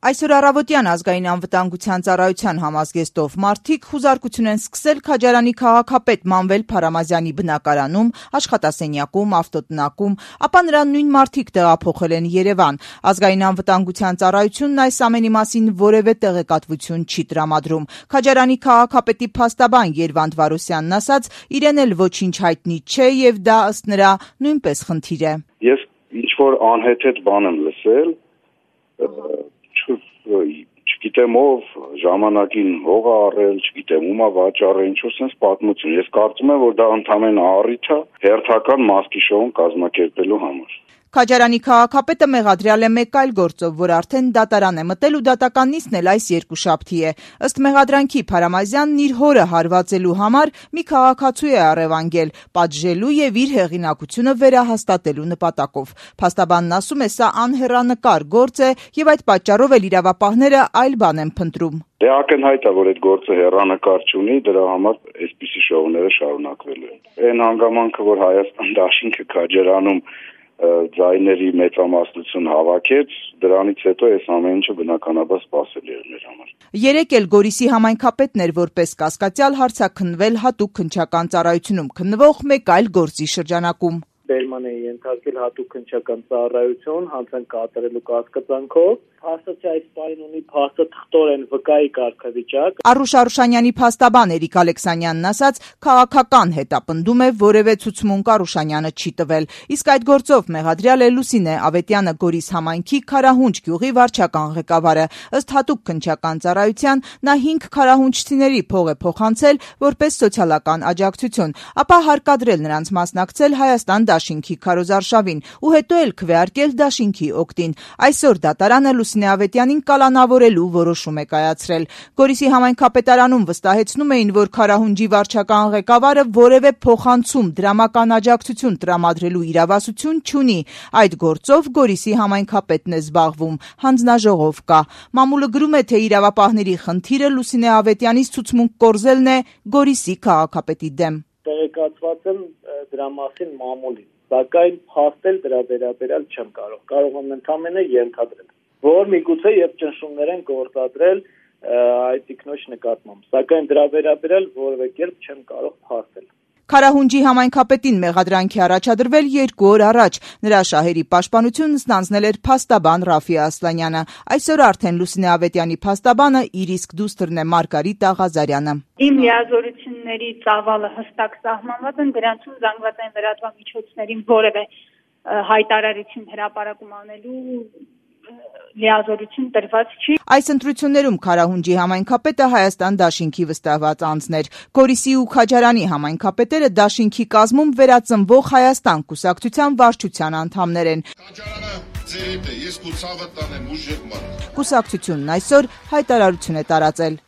Այսօր առավոտյան ազգային անվտանգության ծառայության համազգեստով մարդիկ խուզարկություն են սկսել Քաջարանի քաղաքապետ Մանվել Փարամազյանի բնակարանում, աշխատասենյակում, ավտոտնակում, ապա նրան նույն մարդիկ տեղափոխել են Երևան։ Ազգային անվտանգության ծառայությունն այս ամենի մասին որևէ տեղեկատվություն չի տրամադրում։ Քաջարանի քաղաքապետի փաստաբան Երվանդ Վարոսյանն ասաց, իրեն էլ ոչինչ հայտնի չէ եւ դա ըստ նրա նույնպես խնդիր է։ Ես ինչ-որ անհեթեթ բան եմ լսել, չգիտեմ ով ժամանակին հող է առել, չգիտեմ ում է վաճառել, ինչ-որ sense պատմություն։ Ես կարծում եմ, որ դա ընդհանրապես առիթ է հերթական մասկի շոուն կազմակերպելու համար։ Քաջարանի քաղաքապետը մեղադրյալ է մեկ այլ գործով, որ արդեն դատարան է մտել ու դատական նիստն էլ այս երկուշաբթի է։ Ըստ մեղադրանքի Փարամազյանն իր հորը հարվածելու համար մի քաղաքացու է առևանգել, պատժելու եւ իր հեղինակությունը վերահաստատելու նպատակով։ Փաստաբանն ասում է, սա անհեռանկար գործ է եւ այդ պատճառով էլ իրավապահները այլ բան են փնտրում։ Դե ակնհայտ է, որ այդ գործը հեռանկար չունի, դրա համար այսպիսի շոուները շարունակվելու են։ Այն հանգամանքը, որ Հայաստան դաշինքը Քաջարանում ձայների մեծամասնություն հավաքեց, դրանից հետո այս ամեն ինչը բնականաբար սպասելի էր մեր համար։ Երեկ էլ Գորիսի համայնքապետն էր որպես կասկածյալ հարցաքննվել հատուկ քննչական ծառայությունում քննվող մեկ այլ գործի շրջանակում։ Բերման է ենթարկել հատուկ քննչական ծառայություն հանցանք կատարելու կասկածանքով։ Փաստացի այս պահին ունի փաստաթղթորեն վկայի կարգավիճակ։ Արուշ Արուշանյանի փաստաբան Էրիկ Ալեքսանյանն ասաց, քաղաքական հետապնդում է, որևէ ցուցմունք Արուշանյանը չի տվել։ Իսկ այդ գործով մեղադրյալ է Լուսինե Ավետյանը, Գորիս համայնքի Քարահունջ գյուղի վարչական ղեկավարը։ Ըստ հատուկ քննչական ծառայության նա 5 քարահունջցիների փող է փոխանցել որպես սոցիալական աջակցություն, ապա հարկադրել նրանց մասնակցել Հայաստան դաշինքի քարոզարշավին ու հետո էլ քվեարկել դաշինքի օգտին։ Այսօր դատարանը Լուսինե Ավետյանին կալանավորելու որոշում է կայացրել։ Գորիսի համայնքապետարանում վստահեցնում էին, որ Քարահունջի վարչական ղեկավարը որևէ փոխանցում դրամական աջակցություն տրամադրելու իրավասություն չունի։ Այդ գործով Գորիսի համայնքապետն է զբաղվում, հանձնաժողով կա։ Մամուլը գրում է, թե իրավապահների խնդիրը Լուսինե Ավետյանից ցուցմունք կորզելն է Գորիսի քաղաքապետի դեմ։ Տեղեկացված եմ դրա մասին մամուլին, սակայն փաստել դրա վերաբերյալ չեմ կարող։ Կարող եմ ընդամենը ենթադրել, որ միգուցե եւ ճնշումներ են գործադրել այդ տիկնոջ նկատմամբ, սակայն դրա վերաբերյալ որևէ կերպ չեմ կարող փաստել։ Քարահունջի համայնքապետին մեղադրանքի առաջադրվել 2 օր առաջ։ Նրա շահերի պաշտպանությունն ստանձնել էր փաստաբան Ռաֆի Ասլանյանը։ Այսօր արդեն Լուսինե Ավետյանի փաստաբանը իր իսկ դուստրն է Մարգարիտ Աղազարյանը։ Իմ լիազորությունների ծավալը հստակ սահմանված են, դրանցում զանգվածային լրատվամիջոցներին որևէ հայտարարություն հրապարակում անելու լիազորություն տրված չի։ Այս ընտրություններում Քարահունջի համայնքապետը Հայաստան դաշինքի վստահված անձն էր։ Գորիսի ու Քաջարանի համայնքապետերը դաշինքի կազմում վերածնվող Հայաստան կուսակցության վարչության անդամներ են։ Քաջարանը ձեր հետ է, ես կուսավը տանեմ ուժեղ մարդ։ Կուսակցությունն այսօր հայտարարություն է տարածել։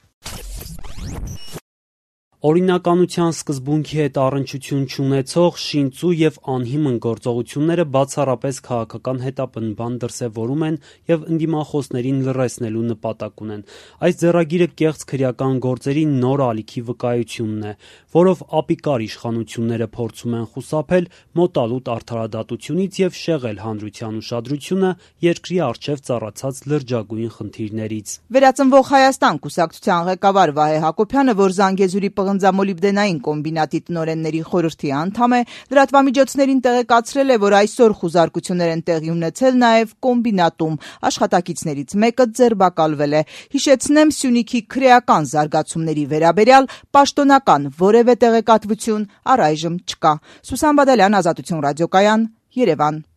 Օրինականության սկզբունքի հետ առնչություն չունեցող, շինծու եւ անհիմն գործողությունները բացառապես քաղաքական հետապնդման դրսևորում են եւ ընդդիմախոսներին լռեցնելու նպատակ ունեն։ Այս ձեռագիրը կեղծ քրեական գործերի նոր ալիքի վկայությունն է, որով ապիկար իշխանությունները փորձում են խուսափել մոտալուտ արդարադատությունից եւ շեղել հանրության ուշադրությունը երկրի առջեւ ծառացած լրջագույն խնդիրներից։ Վերածնվող Հայաստան կուսակցության ղեկավար Վահե Հակոբյանը, որ Զանգեզուրի պղնձամոլիբդենային կոմբինատի տնօրենների խորհրդի անդամ է, լրատվամիջոցներին տեղեկացրել է, որ այսօր խուզարկություններ են տեղի ունեցել նաև կոմբինատում։ Աշխատակիցներից մեկը ձերբակալվել է։ Հիշեցնեմ, Սյունիքի քրեական զարգացումների վերաբերյալ պաշտոնական որևէ տեղեկատվություն առայժմ չկա։ Սուսան Բադալյան, Ազատություն ռադիոկայան, Երևան։